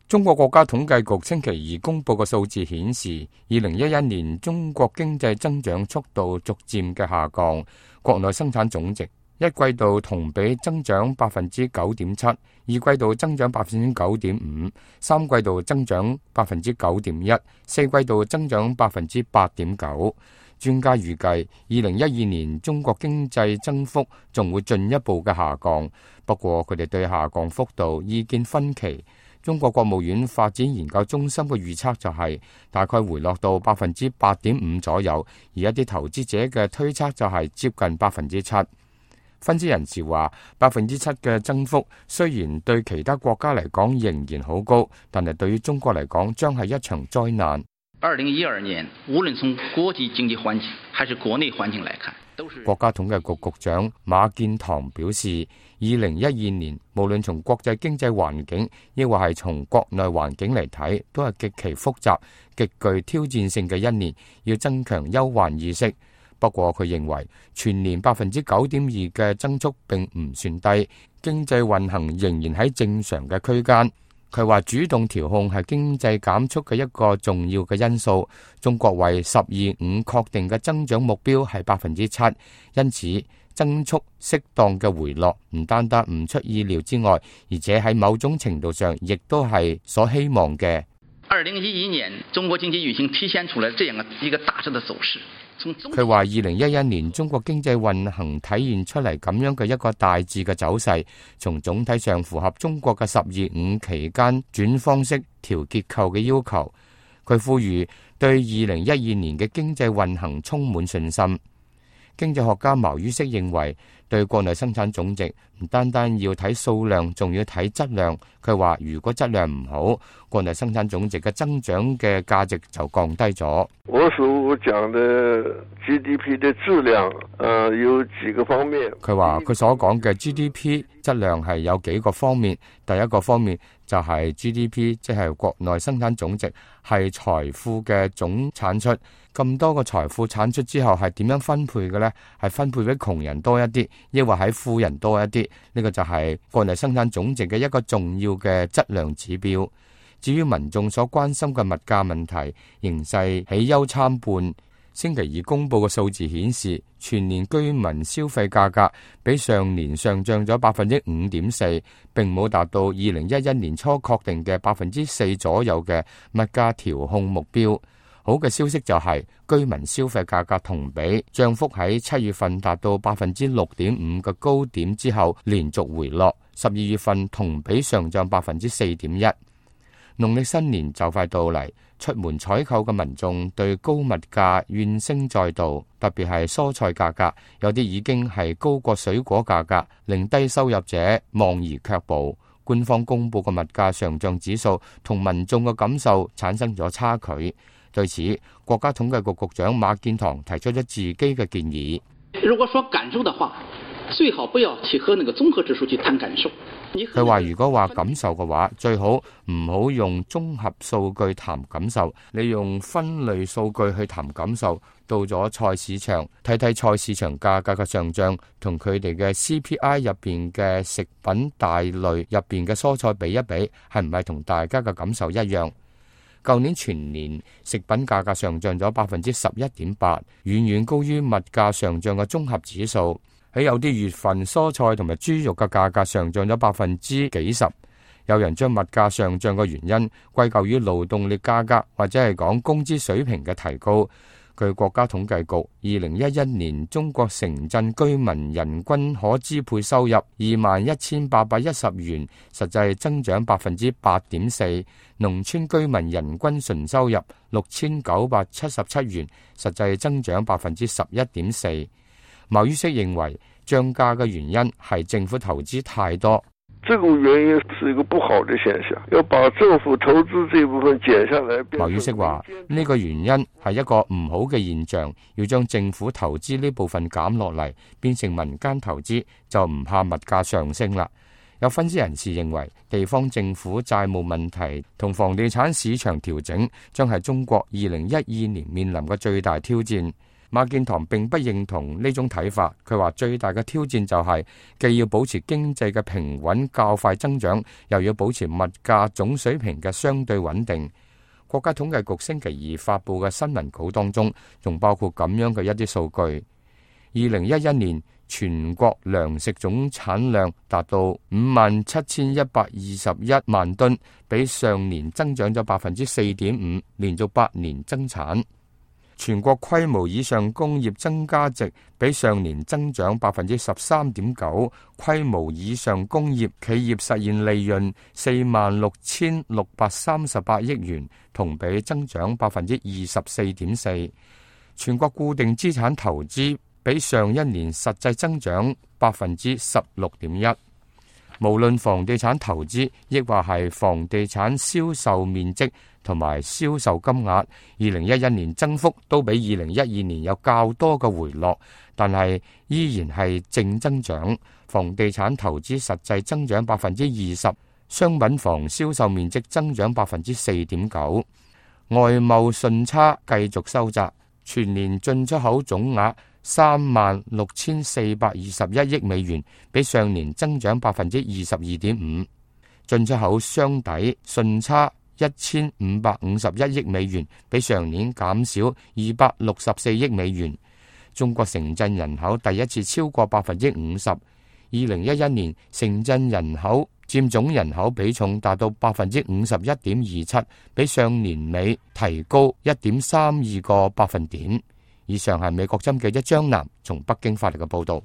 中國國家統計局星期二公佈嘅數字顯示，2011年中國經濟增長速度逐漸嘅下降，國內生產總值一季度同比增長9.7%，二季度增長9.5%，三季度增長9.1%，四季度增長8.9%。專家預計2012年中國經濟增幅仲會進一步嘅下降，不過佢哋對下降幅度意見分歧。中國國務院發展研究中心嘅預測就係大概回落到8.5%左右，而一啲投資者嘅推測就係接近7%。分析人士話，7%嘅增幅雖然對其他國家嚟講仍然好高，但係對於中國嚟講將係一場災難。2012年，無論從國際經濟環境還是國內環境來看，國家統計局局長馬建堂表示，2012年無論從國際經濟環境，亦或係從國內環境嚟睇，都係極其複雜、極具挑戰性嘅一年，要增強憂患意識。不過佢認為全年9.2%嘅增速並唔算低，經濟運行仍然喺正常嘅區間。佢話主動調控係經濟減速嘅一個重要嘅因素。中國為"十二五"確定嘅增長目標係7%，因此增速適當嘅回落唔單單唔出意料之外，而且喺某種程度上亦都係所希望嘅。2011年中國經濟運行體現出來這樣一個大致的走勢。佢話2011年中國經濟運行體現出嚟咁樣嘅一個大致嘅走勢，從總體上符合中國嘅"十二五"期間轉方式調結構嘅要求。佢呼籲對2012年嘅經濟運行充滿信心。經濟學家茅于軾認為，對國內生產總值唔單單要睇數量，仲要睇質量。佢話如果質量唔好，國內生產總值嘅增長嘅價值就降低咗。我所講的 GDP 的質量，有幾個方面。佢話佢所講嘅 GDP 質量係有幾個方面。第一個方面就係 GDP， 即係國內生產總值，係財富嘅總產出。咁多個財富產出之後係點樣分配嘅呢？係分配俾窮人多一啲，抑或喺富人多一啲？呢個就係國內生產總值嘅一個重要嘅質量指標。至於民眾所關心嘅物價問題，形勢喜憂參半。星期二公佈嘅數字顯示，全年居民消費價格比上年上漲咗5.4%，並冇達到2011年初確定嘅4%左右嘅物價調控目標。好嘅消息就係居民消費價格同比漲幅喺7月份達到6.5%嘅高點之後連續回落，12月份同比上漲4.1%。農曆新年就快到嚟，出門採購嘅民眾對高物價怨聲載道，特別係蔬菜價格，有啲已經係高過水果價格，令低收入者望而卻步。官方公布嘅物價上漲指數同民眾嘅感受產生咗差距。對此，國家統計局局長馬建堂提出咗自己嘅建議。如果說感受的話，最好不要去和那個綜合指數去談感受。佢話如果話感受嘅話，最好唔好用綜合數據談感受，你用分類數據去談感受。到咗菜市場，睇睇菜市場價格嘅上漲同佢哋嘅 CPI 入邊嘅食品大類入邊嘅蔬菜比一比，係唔係同大家嘅感受一樣？舊年全年食品價格上漲咗11.8%，遠遠高於物價上漲嘅綜合指數。喺有啲月份，蔬菜同埋豬肉嘅價格上漲咗幾十%。有人將物價上漲嘅原因歸咎於勞動力價格，或者係講工資水平嘅提高。據國家統計局，2011年中國城鎮居民人均可支配收入21,810元，實際增長8.4%；農村居民人均純收入6,977元，實際增長11.4%。茅于軾認為，漲價嘅原因係政府投資太多。這個原因是一個不好的現象，要把政府投資這部分減下來。茅于軾話呢個原因係一個唔好嘅現象，要將政府投資呢部分減落嚟，變成民間投資，就唔怕物價上升啦。有分析人士認為，地方政府債務問題同房地產市場調整將係中國2012年面臨嘅最大挑戰。馬建堂並不認同呢種睇法，佢話最大嘅挑戰就係既要保持經濟嘅平穩較快增長，又要保持物價總水平嘅相對穩定。國家統計局星期二發佈嘅新聞稿當中，仲包括咁樣嘅一啲數據：2011年全國糧食總產量達到57,121萬噸，比上年增長咗4.5%，連續8年增產。全國規模以上工業增加值比上年增長13.9%，規模以上工業企業實現利潤46,638億元，同比增長24.4%。全國固定資產投資比上一年實際增長16.1%。無論房地產投資，亦或係房地產銷售面積同埋銷售金額，2011年增幅都比2012年有較多嘅回落，但係依然係正增長。房地產投資實際增長20%，商品房銷售面積增長4.9%。外貿順差繼續收窄，全年進出口總額36,421億美元，比上年增長22.5%。進出口雙底順差1,551億美元，比上年減少264億美元。中國城鎮人口第一次超過50%。2011年城鎮人口佔總人口比重達到51.27%，比上年尾提高1.32個百分點。以上係美國之音記者張南從北京發嚟嘅報道。